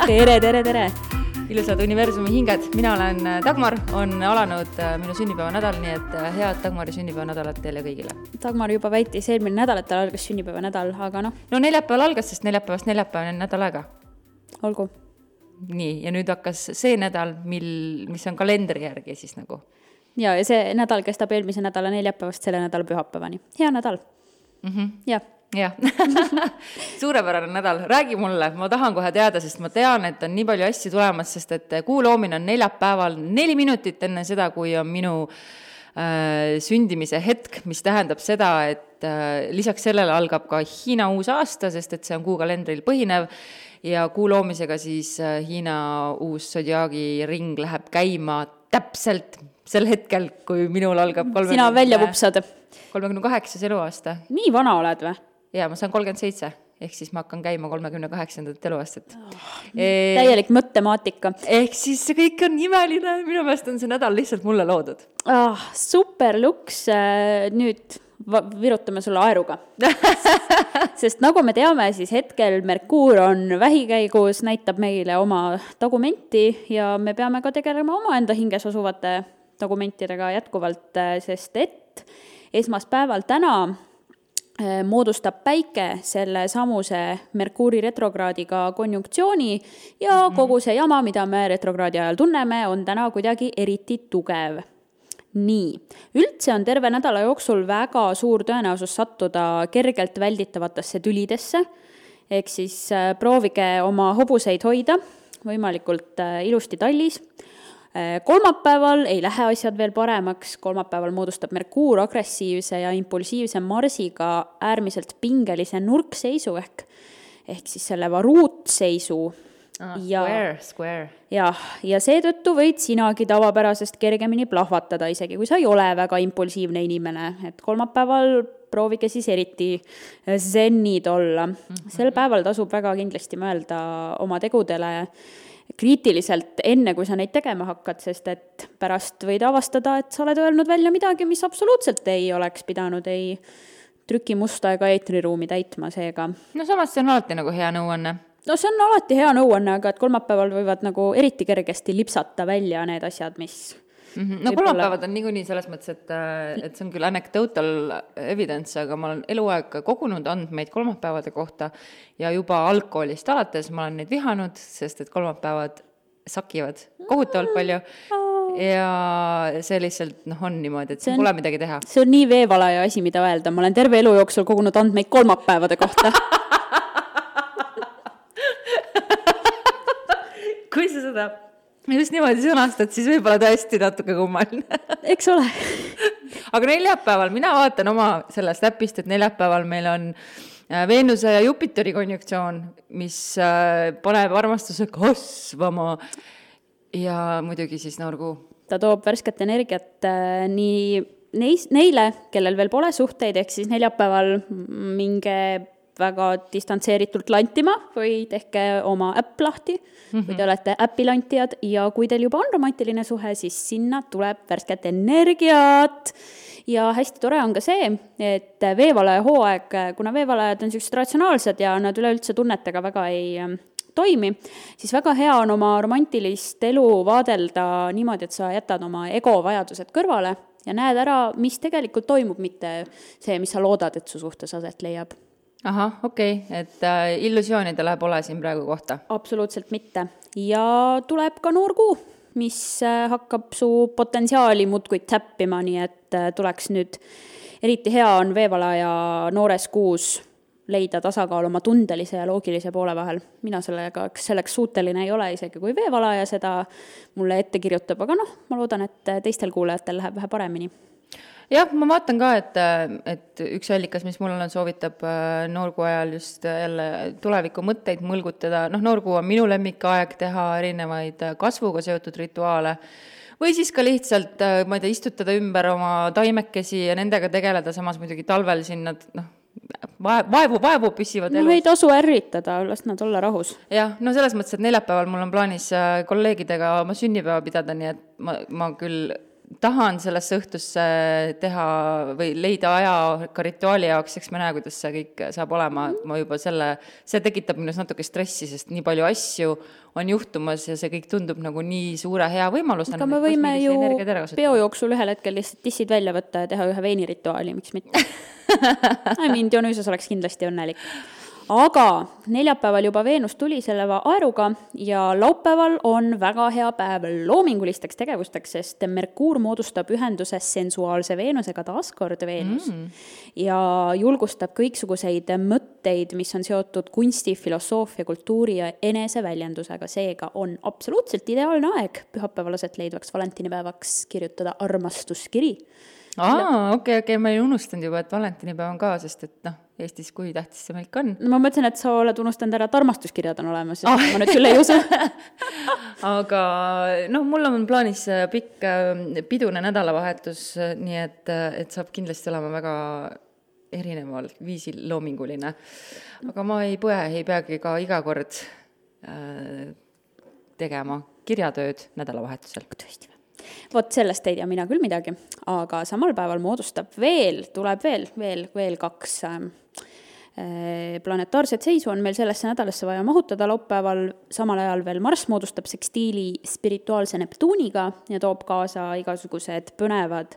tere! Ilusad universumi hinged, mina olen Dagmar, on alanud minu sünnipäevanädal, nii et head Dagmari sünnipäevanädalat teile kõigile. Dagmar juba väitis eelmine nädal, et tal algas sünnipäevanädal, aga noh. No neljapäeval algas, sest neljapäevast on nädal aega. Olgu. Nii, ja nüüd hakkas see nädal, mis on kalendri järgi siis nagu. Ja see nädal kestab eelmise nädala neljapäevast selle nädala pühapäevani. Hea nädal. Jah. Suurepärane nädal, räägi mulle, ma tahan kohe teada, sest ma tean, et on nii palju asju tulemas, sest et kuu loomine on neljapäeval 4 minutit enne seda, kui on minu sündimise hetk, mis tähendab seda, et lisaks sellele algab ka Hiina uus aasta, sest et see on kuukalendril põhinev ja kuu loomisega siis Hiina uus zodiaagi ring läheb käima täpselt sel hetkel, kui minul algab Sina välja vupsad 38. eluaasta. Nii vana oled või? Ja ma saan 37, ehk siis ma hakkan käima 38. eluaastat. Täielik mõttemaatika. Ehk siis see kõik on imeline, minu meelest on see nädal lihtsalt mulle loodud. Super luks, nüüd virutame sulle aeruga. Sest nagu me teame, siis hetkel Merkuur on vähikäigus, näitab meile oma tagumenti ja me peame ka tegelema oma enda hinges asuvate tagumentidega jätkuvalt, sest et esmaspäeval täna moodustab päike selle samuse Merkuuri retrokraadiga konjunktsiooni ja kogu see jama, mida me retrokraadi ajal tunneme, on täna kuidagi eriti tugev. Nii, üldse on terve nädala jooksul väga suur tõenäosus sattuda kergelt välditavatesse tülidesse, ehk siis proovige oma hobuseid hoida võimalikult ilusti tallis. Kolmapäeval ei lähe asjad veel paremaks, kolmapäeval moodustab Merkuur agressiivse ja impulsiivse Marsiga äärmiselt pingelise nurkseisu ehk siis selle varuutseisu. Square. Ja seetõttu võid sinagi tavapärasest kergemini plahvatada, isegi kui sa ei ole väga impulsiivne inimene, et kolmapäeval proovige siis eriti zennid olla. Sel päeval tasub väga kindlasti mõelda oma tegudele kriitiliselt enne, kui sa neid tegema hakkad, sest et pärast võid avastada, et sa oled öelnud välja midagi, mis absoluutselt ei oleks pidanud ei trükimusta ega eetriruumi täitma seega. No samas see on alati nagu hea nõuanne. No see on alati hea nõuanne, aga et kolmapäeval võivad nagu eriti kergesti lipsata välja need asjad, mis... No kolmapäevad on niikuinii selles mõttes, et see on küll anecdotal evidence, aga ma olen eluaeg kogunud andmeid kolmapäevade kohta ja juba algkoolist alates ma olen neid vihanud, sest et kolmapäevad sakivad kohutavalt palju ja see lihtsalt on niimoodi, et see pole midagi teha. See on nii veevalaja asi, mida öelda. Ma olen terve elu jooksul kogunud andmeid kolmapäevade kohta. Kui sa seda just niimoodi sõnastad, siis võib-olla tõesti natuke kummaline. Eks ole. Aga neljapäeval, mina vaatan oma sellest äpist, et neljapäeval meil on Veenuse ja Jupiteri konjunktsioon, mis paneb armastuse kasvama ja muidugi siis Norgu. Ta toob värsket energiat nii neile, kellel veel pole suhteid, ehk siis neljapäeval minge väga distantseeritult lantima või tehke oma äpp lahti, kui te olete äppilantijad ja kui teil juba on romantiline suhe, siis sinna tuleb värsket energiat. Ja hästi tore on ka see, et veevalaja hooaeg, kuna veevalajad on sellised ratsionaalsed ja nad üleüldse tunnetega väga ei toimi, siis väga hea on oma romantilist elu vaadelda niimoodi, et sa jätad oma ego vajadused kõrvale ja näed ära, mis tegelikult toimub, mitte see, mis sa loodad, et su suhtes aset leiab. Aha, okei, et illusioonidele pole siin praegu kohta. Absoluutselt mitte. Ja tuleb ka noor kuu, mis hakkab su potentsiaali muudkuid täppima, nii et tuleks nüüd, eriti hea on veevalaja noores kuus leida tasakaal oma tundelise ja loogilise poole vahel. Mina selleks suuteline ei ole, isegi kui veevalaja seda mulle ette kirjutab, aga ma loodan, et teistel kuulajatel läheb vähe paremini. Jah, ma vaatan ka, et üks allikas, mis mul on, soovitab noorkuu ajal just jälle tuleviku mõtteid mõlgutada. Noorkuu on minu lemmikaeg teha erinevaid kasvuga seotud rituaale või siis ka lihtsalt, ma ei tea, istutada ümber oma taimekesi ja nendega tegeleda, samas muidugi talvel siin nad vaevu püsivad elus. Ei tasu ärritada, las nad olla rahus. Jah, selles mõttes, et neljapäeval mul on plaanis kolleegidega oma sünnipäeva pidada, nii et ma küll tahan sellesse õhtusse teha või leida aja ka rituaali jaoks, eks me näe, kuidas see kõik saab olema, ma juba see tekitab minus natuke stressi, sest nii palju asju on juhtumas ja see kõik tundub nagu nii suure hea võimalusena. Aga me võime ju peojooksul ühel hetkel lihtsalt tissid välja võtta ja teha ühe veinirituaali, miks mitte. Dionüüsos oleks kindlasti õnnelik. Aga neljapäeval juba Veenus tuli selle aeruga ja laupäeval on väga hea päev loomingulisteks tegevusteks, sest Merkuur moodustab ühenduse sensuaalse Veenusega, taaskord Veenus, ja julgustab kõiksuguseid mõtteid, mis on seotud kunsti, filosoofia, kultuuri ja eneseväljendusega. Seega on absoluutselt ideaalne aeg pühapäevalaselt leidvaks valentinipäevaks kirjutada armastuskiri. Okei, ma ei unustanud juba, et valentinipäev on ka, sest et Eestis kui tähtis see meil on. Ma mõtlesin, et sa oled unustanud ära, et armastuskirjad on olemas, ma nüüd küll ei usu. Aga mul on plaanis pikk pidune nädalavahetus, nii et saab kindlasti olema väga erineval viisil loominguline. Aga ma ei peagi ka iga kord tegema kirjatööd nädalavahetusel. Tõesti. Vot sellest ei tea mina küll midagi, aga samal päeval tuleb veel 2 planetaarset seisu on meil sellesse nädalasse vaja mahutada laupäeval, samal ajal veel Marss moodustab sekstiili spirituaalse Neptuuniga ja toob kaasa igasugused põnevad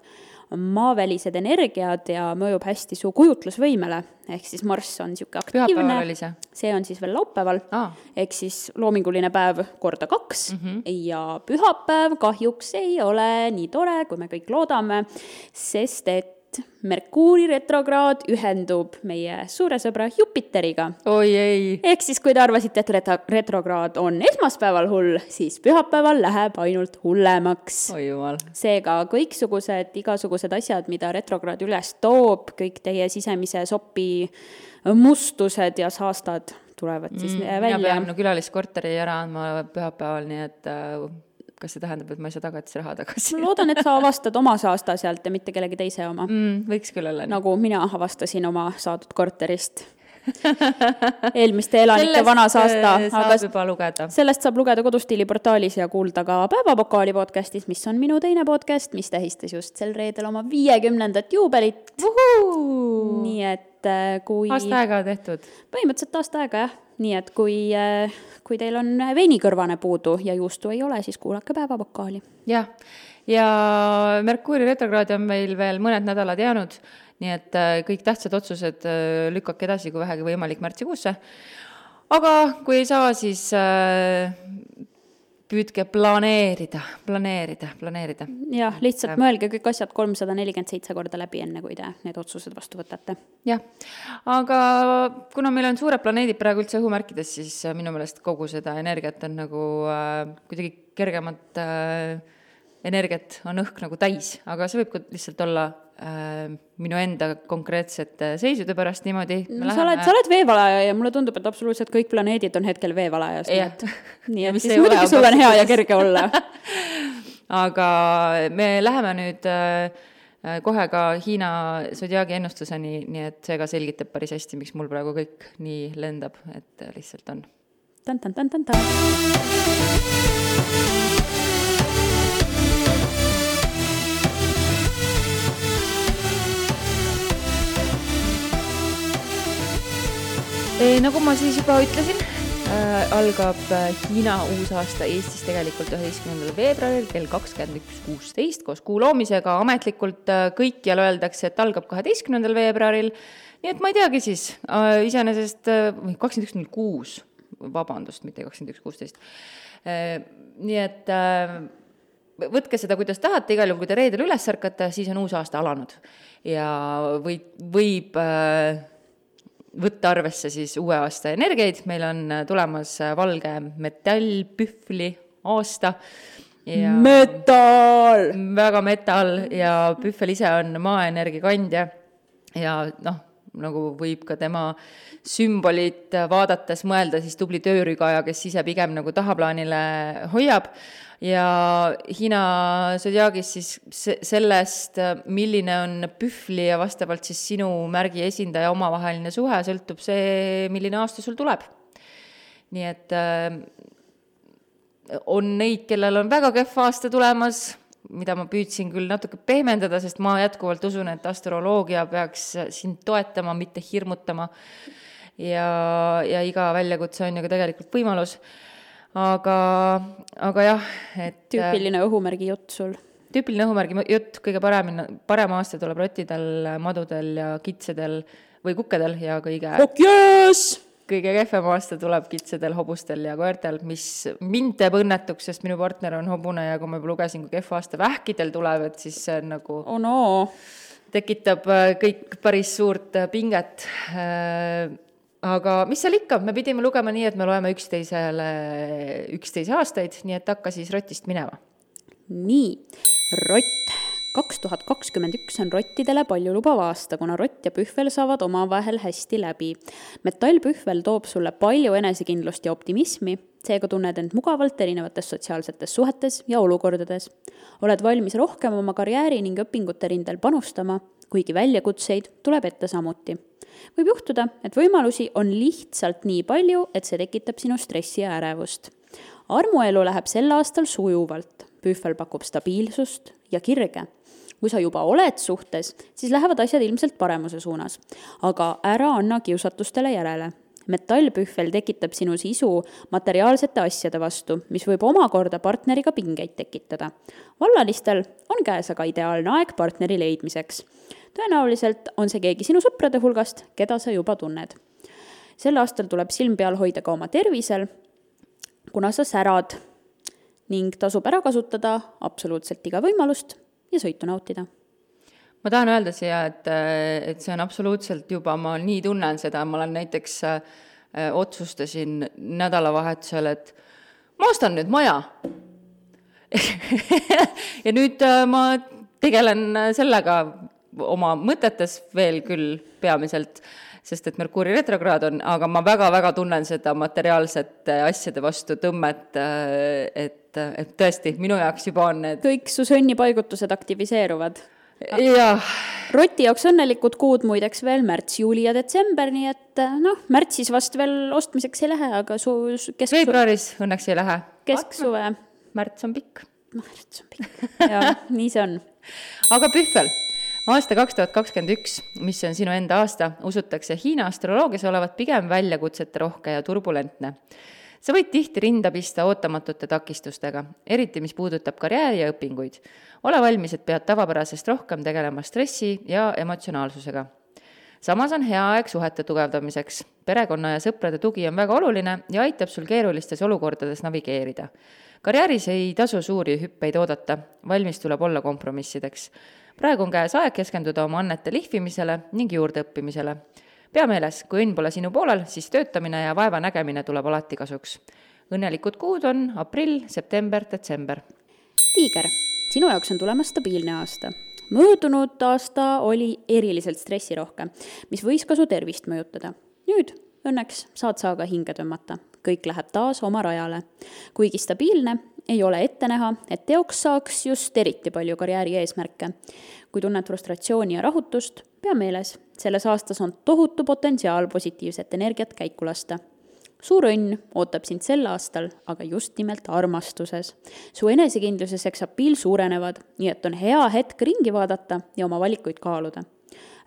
maavälised energiad ja mõjub hästi su kujutlusvõimele, ehk siis Marss on niisugune aktiivne, see on siis veel laupäeval, ehk siis loominguline päev korda 2 ja pühapäev kahjuks ei ole nii tore, kui me kõik loodame, sest et Merkuuri retrograad ühendub meie suure sõbra Jupiteriga. Oi ei! Ehk siis, kui te arvasite, et retrograad on esmaspäeval hull, siis pühapäeval läheb ainult hullemaks. Oi jumal. Seega igasugused asjad, mida retrograad üles toob, kõik teie sisemise sopi mustused ja saastad tulevad siis välja. Mina pean külaliskorteri ära andma pühapäeval, nii et kas see tähendab, et ma ei saa tagatisraha tagasi? Ma loodan, et sa avastad oma saasta sealt ja mitte kellegi teise oma. Võiks küll olla. Nagu mina avastasin oma saadud korterist. Eelmiste elanike vana saasta. Saab juba lugeda. Sellest saab lugeda Kodustiili-portaalis ja kuulda ka Päevapokaali podcastis, mis on minu teine podcast, mis tähistas just sel reedel oma 50. juubelit. Nii et kui... Aasta aega tehtud. Põhimõtteliselt aasta aega, jah. Nii et kui teil on veinikõrvane puudu ja juustu ei ole, siis kuulake Päevapokaali. Jah, ja Merkuuri retrograadi on meil veel mõned nädalad jäänud, nii et kõik tähtsad otsused lükkake edasi, kui vähegi võimalik märtsikuusse. Aga kui ei saa, siis püüdke planeerida. Jah, lihtsalt mõelge kõik asjad 347 korda läbi enne, kui te need otsused vastu võtate. Jah, aga kuna meil on suured planeedid praegu üldse õhumärkides, siis minu meelest kogu seda energiat on nagu kuidagi kergemat energiat on õhk nagu täis, aga see võib ka lihtsalt olla minu enda konkreetsete seisude pärast niimoodi. Sa oled veevalaja ja mulle tundub, et absoluutselt kõik planeedid on hetkel veevalajas. Nii et siis muidugi sul on hea ja kerge olla. Aga me läheme nüüd kohe ka Hiina sodiaagi ennustuseni, nii et see ka selgitab päris hästi, miks mul praegu kõik nii lendab, et lihtsalt on. Tan. Nagu ma siis juba ütlesin, algab Hiina uusaasta Eestis tegelikult 11. veebruaril kell 21.16 koos kuu loomisega. Ametlikult kõikjal öeldakse, et algab 12. veebruaril. Nii et ma ei teagi siis, iseenesest 21.06, vabandust, mitte 21.16. Nii et võtke seda, kuidas tahate, igal juhul, kui te reedel üles ärkate, siis on uusaasta alanud. Ja võib võtta arvesse siis uue aasta energiaid. Meil on tulemas valge metallpühvli aasta. Ja metal! Väga metal ja pühvel ise on maaenergia kandja ja nagu võib ka tema sümbolit vaadates mõelda siis tubli töörügaja, kes ise pigem nagu tahaplaanile hoiab. Ja Hiina sodiaagis siis sellest, milline on pühvli ja vastavalt siis sinu märgi esindaja omavaheline suhe, sõltub see, milline aasta sul tuleb. Nii et on neid, kellel on väga kehv aasta tulemas, mida ma püüdsin küll natuke pehmendada, sest ma jätkuvalt usun, et astroloogia peaks sind toetama, mitte hirmutama. Ja iga väljakutse on ju ka tegelikult võimalus. Aga jah, et... Tüüpiline õhumärgi jutt sul. Tüüpiline õhumärgi jutt, kõige parem aasta tuleb rottidel, madudel ja kitsedel või kukkedel ja kõige kehvem aasta tuleb kitsedel, hobustel ja koertel, mis mind teeb õnnetuks, sest minu partner on hobune ja kui ma juba lugesin, kui kehva aasta vähkidel tuleb, et siis see on nagu tekitab kõik päris suurt pinget. Aga mis seal ikka, me pidime lugema nii, et me loeme 11 aastaid, nii et hakka siis rotist minema. Nii, rott. 2021 on rottidele palju lubav aasta, kuna rott ja pühvel saavad omavahel hästi läbi. Metallpühvel toob sulle palju enesekindlust ja optimismi, seega tunned end mugavalt erinevates sotsiaalsetes suhetes ja olukordades. Oled valmis rohkem oma karjääri ning õpingute rindel panustama, kuigi väljakutseid tuleb ette samuti. Võib juhtuda, et võimalusi on lihtsalt nii palju, et see tekitab sinu stressi ja ärevust. Armuelu läheb sel aastal sujuvalt. Pühvel pakub stabiilsust ja kirge. Kui sa juba oled suhtes, siis lähevad asjad ilmselt paremuse suunas. Aga ära anna kiusatustele järele. Metallpühvel tekitab sinu sisu materiaalsete asjade vastu, mis võib omakorda partneriga pingeid tekitada. Vallalistel on käes aga ideaalne aeg partneri leidmiseks. Tõenäoliselt on see keegi sinu sõprade hulgast, keda sa juba tunned. Sel aastal tuleb silm peal hoida ka oma tervisel, kuna sa särad ning tasub ära kasutada absoluutselt iga võimalust ja sõitu nautida. Ma tahan öelda siia, et see on absoluutselt juba, ma nii tunnen seda, ma olen näiteks otsustasin nädalavahetusel, et ma ostan nüüd maja. Ja nüüd ma tegelen sellega oma mõtetes veel küll peamiselt, sest et Merkuuri retrokraad on, aga ma väga-väga tunnen seda materiaalsete asjade vastu tõmmet, et tõesti, minu jaoks juba on need... Kõik su sõnnipaigutused aktiviseeruvad. Ja. Roti jaoks õnnelikud kuud muideks veel märts, juuli ja detsember, nii et märtsis vast veel ostmiseks ei lähe, aga veebruaris õnneks ei lähe. Kesksuve. Märts on pikk. Märts on pikk. Ja, nii see on. Aga pühvel. Aasta 2021, mis on sinu enda aasta, usutakse Hiina astroloogias olevat pigem väljakutsete rohke ja turbulentne. Sa võid tihti rinda pista ootamatute takistustega, eriti mis puudutab karjääri ja õpinguid. Ole valmis, et pead tavapärasest rohkem tegelema stressi ja emotsionaalsusega. Samas on hea aeg suhete tugevdamiseks. Perekonna ja sõprade tugi on väga oluline ja aitab sul keerulistes olukordades navigeerida. Karjääris ei tasu suuri hüppeid oodata, valmis tuleb olla kompromissideks. Praegu on käes aeg keskenduda oma annete lihvimisele ning juurde õppimisele. Pea meeles, kui õnn pole sinu poolel, siis töötamine ja vaeva nägemine tuleb alati kasuks. Õnnelikud kuud on aprill, september, detsember. Tiiger, sinu jaoks on tulemas stabiilne aasta. Möödunud aasta oli eriliselt stressirohke, mis võis ka su tervist mõjutada. Nüüd õnneks saad sa aga hinge tõmmata. Kõik läheb taas oma rajale. Kuigi stabiilne, ei ole ette näha, et teoks saaks just eriti palju karjääri eesmärke. Kui tunned frustratsiooni ja rahutust, pea meeles, selles aastas on tohutu potentsiaal positiivset energiat käiku lasta. Suur õnn ootab sind sel aastal, aga just nimelt armastuses. Su enesekindlus ja seksapiil suurenevad, nii et on hea hetk ringi vaadata ja oma valikuid kaaluda.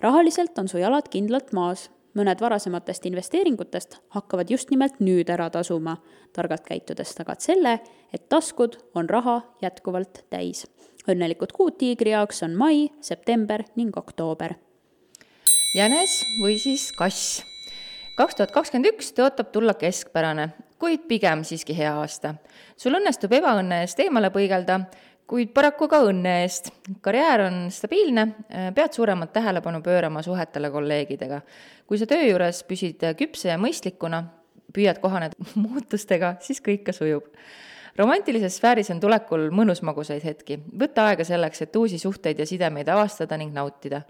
Rahaliselt on su jalad kindlalt maas. Mõned varasematest investeeringutest hakkavad just nimelt nüüd ära tasuma. Targalt käitudes tagad selle, et taskud on raha jätkuvalt täis. Õnnelikud kuud tiigri jaoks on mai, september ning oktoober. Jänes või siis kass. 2021 tõotab tulla keskpärane, kuid pigem siiski hea aasta. Sul õnnestub ebaõnne eest eemale põigelda, kuid paraku ka õnne eest. Karjäär on stabiilne, pead suuremat tähelepanu pöörama suhetele kolleegidega. Kui sa töö juures püsid küpse ja mõistlikuna, püüad kohaneda muutustega, siis kõik ka sujub. Romantilises sfääris on tulekul mõnusmagusaid hetki. Võtta aega selleks, et uusi suhteid ja sidemeid avastada ning nautida.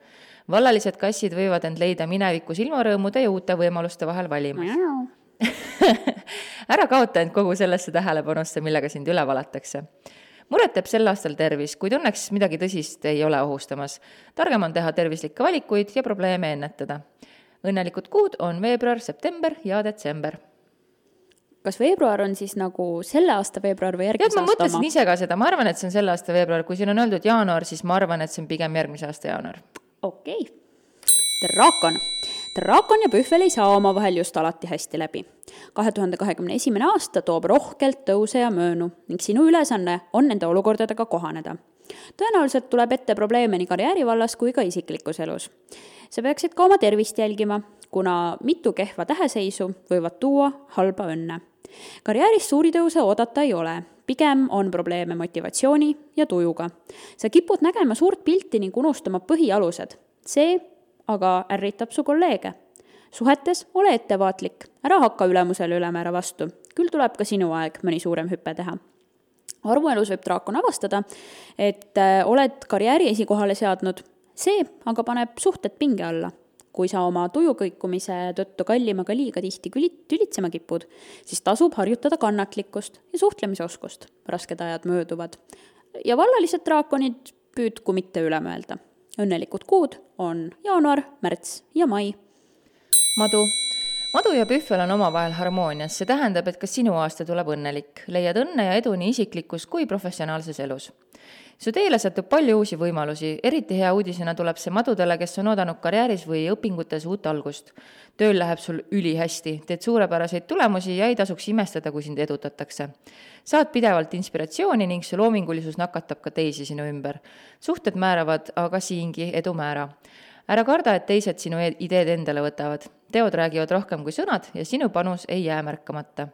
Vallalised kassid võivad end leida minevikus ilmarõõmude ja uute võimaluste vahel valimas. Ära kaota end kogu sellesse tähelepanusse, millega sind üle valatakse. Muret teeb sel aastal tervis, kuid õnneks midagi tõsist ei ole ohustamas. Targem on teha tervislikke valikuid ja probleeme ennetada. Õnnelikud kuud on veebruar, september ja detsember. kas veebruar on siis nagu selle aasta veebruar või järgmise ma aasta mõtlesin oma? ise ka seda, ma arvan, et see on selle aasta veebruar, kui siin on öeldud jaanuar, siis ma arvan, et see on pigem järgmise aasta jaanuar. Okei. Draakon. Draakon ja Pühvel ei saa omavahel just alati hästi läbi. 2021. aasta toob rohkelt tõuse ja möönu ning sinu ülesanne on nende olukordadega kohaneda. Tõenäoliselt tuleb ette probleeme nii karjäärivallas kui ka isiklikus elus. Sa peaksid ka oma tervist jälgima, kuna mitu kehva täheseisu võivad tuua halba õnne. Karjääris suuri tõuse oodata ei ole, pigem on probleeme motivatsiooni ja tujuga. Sa kipud nägema suurt pilti ning unustama põhialused. See aga ärritab su kolleege. Suhetes ole ettevaatlik, ära hakka ülemusele ülemäära vastu. Küll tuleb ka sinu aeg mõni suurem hüppe teha. Armuelus võib draakon avastada, et oled karjääri esikohale seadnud. See aga paneb suhted pinge alla. Kui sa oma tujukõikumise tõttu kallimaga liiga tihti tülitsema kipud, siis tasub harjutada kannatlikkust ja suhtlemisoskust. Rasked ajad mööduvad. Ja vallalised draakonid püüdku mitte üle mõelda. Õnnelikud kuud on jaanuar, märts ja mai. Madu ja Pühvel on omavahel harmoonias, see tähendab, et ka sinu aasta tuleb õnnelik. Leiad õnne ja edu nii isiklikus kui professionaalses elus. Su teele satub palju uusi võimalusi, eriti hea uudisena tuleb see madudele, kes on oodanud karjääris või õpingutes uut algust. Tööl läheb sul ülihästi, teed suurepäraseid tulemusi ja ei tasuks imestada, kui sind edutatakse. Saad pidevalt inspiratsiooni ning su loomingulisus nakatab ka teisi sinu ümber. Suhted määravad aga siingi edu määra. Ära karda, et teised sinu ideed endale võtavad. Teod räägivad rohkem kui sõnad ja sinu panus ei jää märkamata.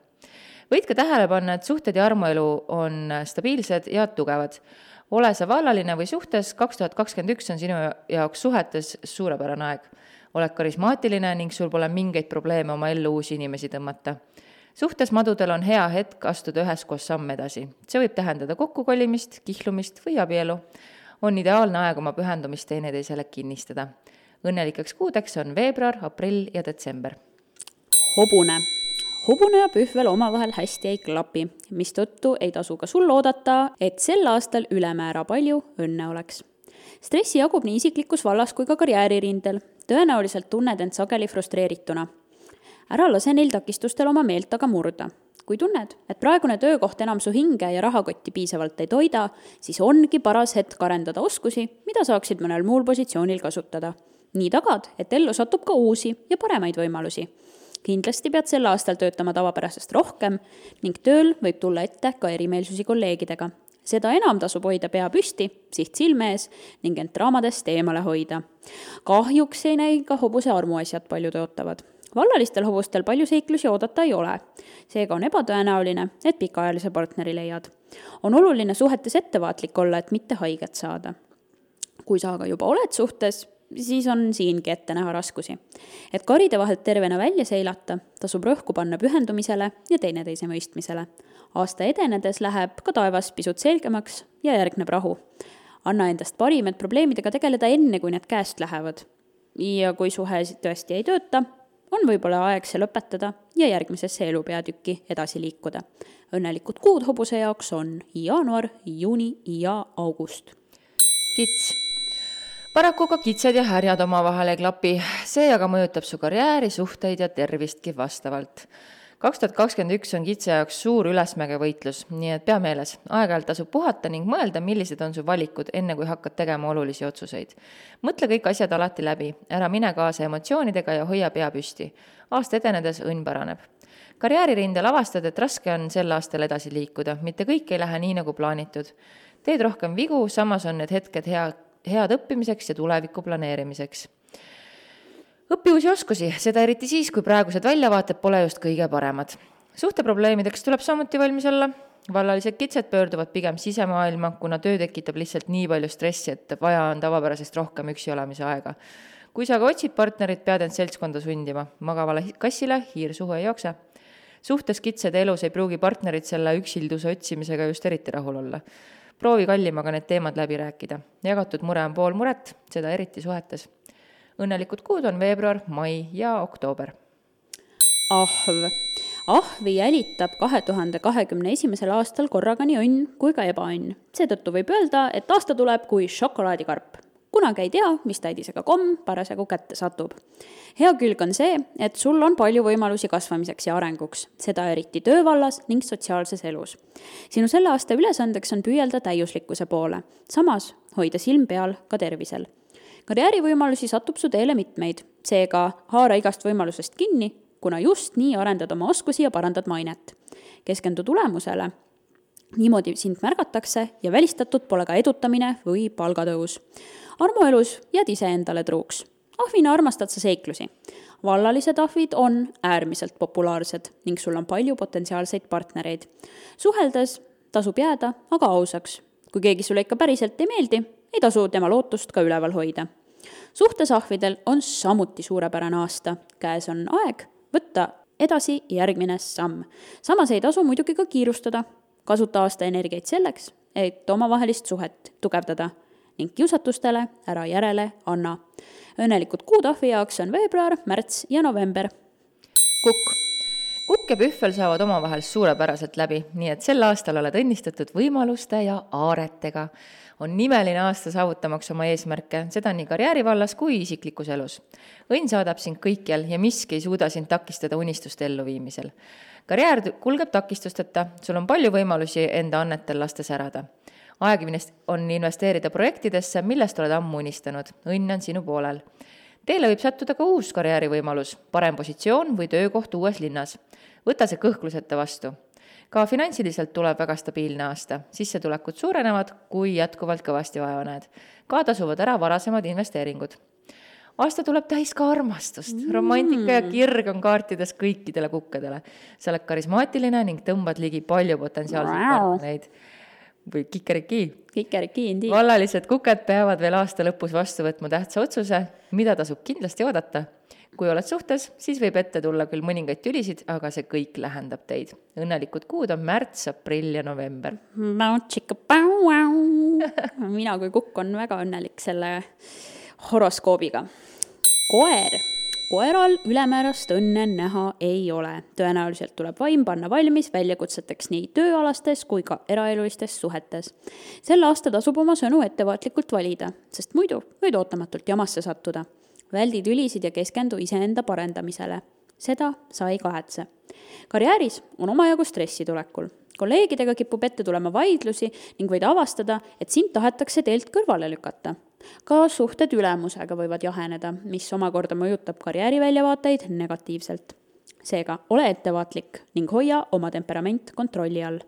Võid ka tähele panna, et suhted ja armuelu on stabiilsed ja tugevad. Ole sa vallaline või suhtes, 2021 on sinu jaoks suhetes suurepärane aeg. Oled karismaatiline ning sul pole mingeid probleeme oma ellu uusi inimesi tõmmata. Suhtes madudel on hea hetk astuda üheskoos samm edasi. See võib tähendada kokkukolimist, kihlumist või abielu. On ideaalne aeg oma pühendumist teineteisele kinnistada. Õnnelikeks kuudeks on veebruar, aprill ja detsember. Hobune. Hobune ja Pühvel omavahel hästi ei klapi, mistõttu ei tasu ka sul oodata, et sel aastal ülemäära palju õnne oleks. Stressi jagub nii isiklikus vallas kui ka karjääririndel. Tõenäoliselt tunned end sageli frustreerituna. Ära lase neil takistustel oma meelt aga murda. Kui tunned, et praegune töökoht enam su hinge ja rahakotti piisavalt ei toida, siis ongi paras hetk arendada oskusi, mida saaksid mõnel muul positsioonil kasutada. Nii tagad, et ellu satub ka uusi ja paremaid võimalusi. Kindlasti pead sel aastal töötama tavapärasest rohkem ning tööl võib tulla ette ka erimeelsusi kolleegidega. Seda enam tasub hoida pea püsti, siht silme ees ning end draamadest eemale hoida. Kahjuks ei näi ka hobuse armuasjad palju tõotavad. Vallalistel hobustel palju seiklusi oodata ei ole. Seega on ebatõenäoline, et pikaajalise partneri leiad. On oluline suhetes ettevaatlik olla, et mitte haiget saada. Kui sa aga juba oled suhtes, siis on siingi ette näha raskusi. Et karide vahelt tervena välja seilata, tasub rõhku panna pühendumisele ja teineteise mõistmisele. Aasta edenedes läheb ka taevas pisut selgemaks ja järgneb rahu. Anna endast parim, et probleemidega tegeleda enne, kui need käest lähevad. Ja kui suhe tõesti ei tööta, on võib-olla aeg see lõpetada ja järgmisesse elupeatükki edasi liikuda. Õnnelikud kuud hobuse jaoks on jaanuar, juuni ja august. Kits. Paraku ka kitsed ja härjad omavahel ei klapi. See aga mõjutab su karjääri, suhteid ja tervistki vastavalt. 2021 on kitse jaoks suur ülesmäge võitlus, nii et pea meeles. Aeg-ajalt tasub puhata ning mõelda, millised on su valikud, enne kui hakkad tegema olulisi otsuseid. Mõtle kõik asjad alati läbi, ära mine kaasa emotsioonidega ja hoia pea püsti. Aasta edenedes õnn paraneb. Karjääririndel avastad, et raske on sel aastal edasi liikuda, mitte kõik ei lähe nii nagu plaanitud. Teed rohkem vigu, samas on need hetked head õppimiseks ja tuleviku planeerimiseks. Õpi uusi oskusi, seda eriti siis, kui praegused väljavaated pole just kõige paremad. Suhteprobleemideks tuleb samuti valmis olla. Vallalised kitsed pöörduvad pigem sisemaailma, kuna töö tekitab lihtsalt nii palju stressi, et vaja on tavapärasest rohkem üksi olemise aega. Kui sa aga otsid partnerit, pead end seltskonda sundima. Magavale kassile hiir suhu ei jookse. Suhtes kitsede elus ei pruugi partnerit selle üksilduse otsimisega just eriti rahul olla. Proovi kallimaga need teemad läbi rääkida. Jagatud mure on pool muret, seda eriti suhetes. Õnnelikud kuud on veebruar, mai ja oktoober. Ahv. Ahvi jälitab 2021. aastal korraga nii õnn kui ka ebaõnn. Seetõttu võib öelda, et aasta tuleb kui šokolaadikarp. kunagi ei tea, mis täidisega komm parasjagu kätte satub. Hea külg on see, et sul on palju võimalusi kasvamiseks ja arenguks, seda eriti töövallas ning sotsiaalses elus. Sinu selle aasta ülesandeks on püüelda täiuslikkuse poole, samas hoida silm peal ka tervisel. Karjäärivõimalusi satub su teele mitmeid, seega haara igast võimalusest kinni, kuna just nii arendad oma oskusi ja parandad mainet. Keskendu tulemusele, niimoodi sind märgatakse ja välistatud pole ka edutamine või palgatõus. Armuelus jääd ise endale truuks. Ahvina armastad sa seiklusi. Vallalised ahvid on äärmiselt populaarsed ning sul on palju potentsiaalseid partnereid. Suheldes tasub jääda aga ausaks. Kui keegi sulle ikka päriselt ei meeldi, ei tasu tema lootust ka üleval hoida. Suhtes ahvidel on samuti suurepärane aasta. Käes on aeg võtta edasi järgmine samm. Samas ei tasu muidugi ka kiirustada. Kasuta aasta energiaid selleks, et omavahelist suhet tugevdada ning kiusatustele ära järele anna. Õnnelikud kuud ahvi jaoks on veebruar, märts ja november. Kukk ja pühvel saavad omavahel suurepäraselt läbi, nii et sel aastal oled õnnistatud võimaluste ja aaretega. On nimeline aasta saavutamaks oma eesmärke, seda nii karjäärivallas kui isiklikus elus. Õnn saadab sind kõikjal ja miski ei suuda sind takistada unistuste elluviimisel. Karjäär kulgeb takistusteta, sul on palju võimalusi enda annetel lasta särada. Aeg on investeerida projektidesse, millest oled ammu unistanud. Õnn on sinu poolel. Teile võib sattuda ka uus karjäärivõimalus, parem positsioon või töökoht uues linnas. Võta see kõhkluseta vastu. Ka finantsiliselt tuleb väga stabiilne aasta. Sissetulekud suurenevad, kui jätkuvalt kõvasti vaeva näed. Ka tasuvad ära varasemad investeeringud. Aasta tuleb täis ka armastust. Romantika ja kirg on kaartides kõikidele kukkadele. Sa oled karismaatiline ning tõmbad ligi palju potentsiaalseid partnereid. Või kikeriki indi. Vallalised kuked peavad veel aasta lõpus vastu võtma tähtsa otsuse, mida tasub kindlasti oodata. Kui oled suhtes, siis võib ette tulla küll mõningaid tülisid, aga see kõik lähendab teid. Õnnelikud kuud on märts, aprill ja november. Mina kui kukk on väga õnnelik selle horoskoobiga. Koeral ülemäärast õnne näha ei ole. Tõenäoliselt tuleb vaim panna valmis väljakutseteks nii tööalastes kui ka eraelulistes suhetes. Sel aasta tasub oma sõnu ettevaatlikult valida, sest muidu võid ootamatult jamasse sattuda. Väldi tülisid ja keskendu iseenda parendamisele. Seda sa ei kahetse. Karjääris on omajagu stressi tulekul. Kolleegidega kipub ette tulema vaidlusi ning võid avastada, et sind tahetakse teelt kõrvale lükata. Ka suhted ülemusega võivad jaheneda, mis omakorda mõjutab karjääriväljavaateid negatiivselt. Seega, ole ettevaatlik ning hoia oma temperament kontrolli all.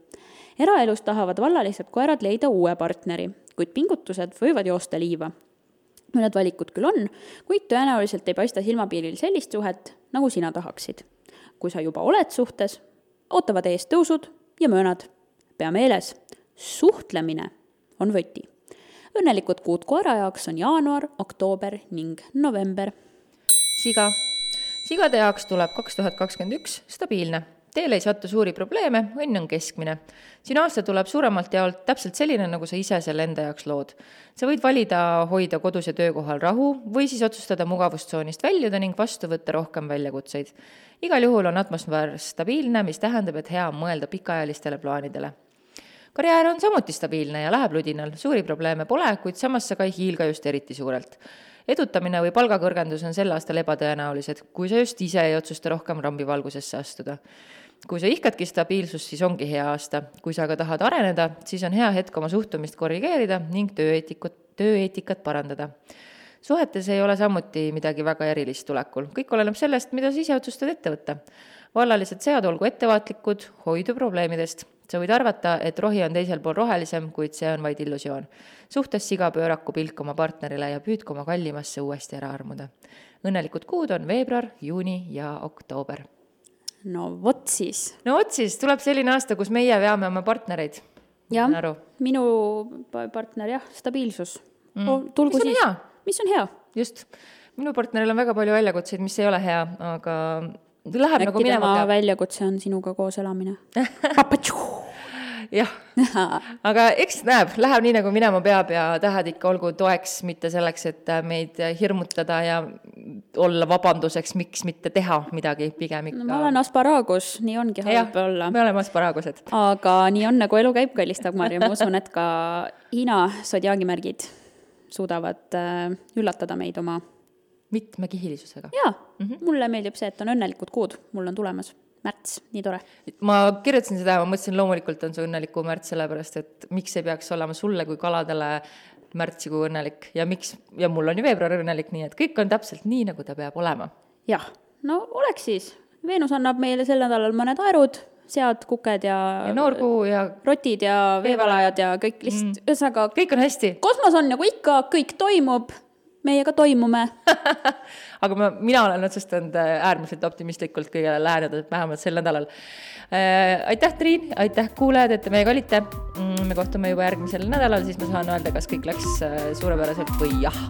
Eraelus tahavad vallalised koerad leida uue partneri, kuid pingutused võivad joosta liiva. Mõned valikud küll on, kuid tõenäoliselt ei paista silmapiiril sellist suhet, nagu sina tahaksid. Kui sa juba oled suhtes, ootavad ees tõusud ja möönad. Pea meeles, suhtlemine on võti. Õnnelikud kuud koera jaoks on jaanuar, oktoober ning november. Sigade jaoks tuleb 2021 stabiilne. Teile ei sattu suuri probleeme, õnn on keskmine. Sinu aasta tuleb suuremalt jaolt täpselt selline, nagu sa ise selle enda jaoks lood. Sa võid valida hoida kodus ja töökohal rahu või siis otsustada mugavustsoonist väljuda ning vastu võtta rohkem väljakutseid. Igal juhul on atmosfäär stabiilne, mis tähendab, et hea on mõelda pikaajalistele plaanidele. Karjäär on samuti stabiilne ja läheb ludinal. Suuri probleeme pole, kuid samas sa ka ei hiilga just eriti suurelt. Edutamine või palgakõrgendus on sel aastal ebatõenäolised, kui sa just ise ei otsusta rohkem rambivalgusesse astuda. Kui sa ihkadki stabiilsust, siis ongi hea aasta. Kui sa aga tahad areneda, siis on hea hetk oma suhtumist korrigeerida ning tööeetikat parandada. Suhetes ei ole samuti midagi väga erilist tulekul. Kõik oleneb sellest, mida sa ise otsustad ette võtta. Vallalised sead olgu ettevaatlikud, hoidu probleemidest. Sa võid arvata, et rohi on teisel pool rohelisem, kuid see on vaid illusioon. Suhtes siga pööraku pilk oma partnerile ja püüdku oma kallimasse uuesti ära armuda. Õnnelikud kuud on veebruar, juuni ja oktoober. No vot siis, tuleb selline aasta, kus meie veame oma partnereid. Ja, minu partner, stabiilsus. Tulgu mis on siis. Hea? Mis on hea? Just. Minu partneril on väga palju väljakutseid, mis ei ole hea, aga läheb nagu minema tema väljakutse on sinuga koos elamine. Jah, aga eks läheb nii nagu minema peab ja tahad ikka olgu toeks mitte selleks, et meid hirmutada ja olla vabanduseks, miks mitte teha midagi pigem ikka. No, ma olen asparaagus, nii ongi halb olla. Me oleme asparaagused. Aga nii on, nagu elu käib, kallis Dagmar, ja ma usun, et ka Hiina sodjaagimärgid suudavad üllatada meid oma mitmekihilisusega. jaa, mulle meeldib see, et on õnnelikud kuud, mul on tulemas märts, nii tore. Ma kirjutasin seda ja ma mõtlesin, loomulikult on see õnneliku märts, sellepärast, et miks ei peaks olema sulle kui kaladele märtsikuu õnnelik ja miks, ja mul on ju veebruar õnnelik, nii et kõik on täpselt nii, nagu ta peab olema. Jah, no oleks siis. Veenus annab meile sel nädalal mõned aerud, sead, kuked ja noorkuu ja rotid ja veevalajad ja kõik lihtsalt, ühesõnaga kõik on hästi. Kosmos on nagu ikka, kõik toimub, meiega toimume. Aga mina olen otsustanud äärmiselt optimistlikult kõigele läheneda, vähemalt sel nädalal. Aitäh, Triin, aitäh kuulajad, et te meiega olite. Me kohtume juba järgmisel nädalal, siis ma saan öelda, kas kõik läks suurepäraselt või jah.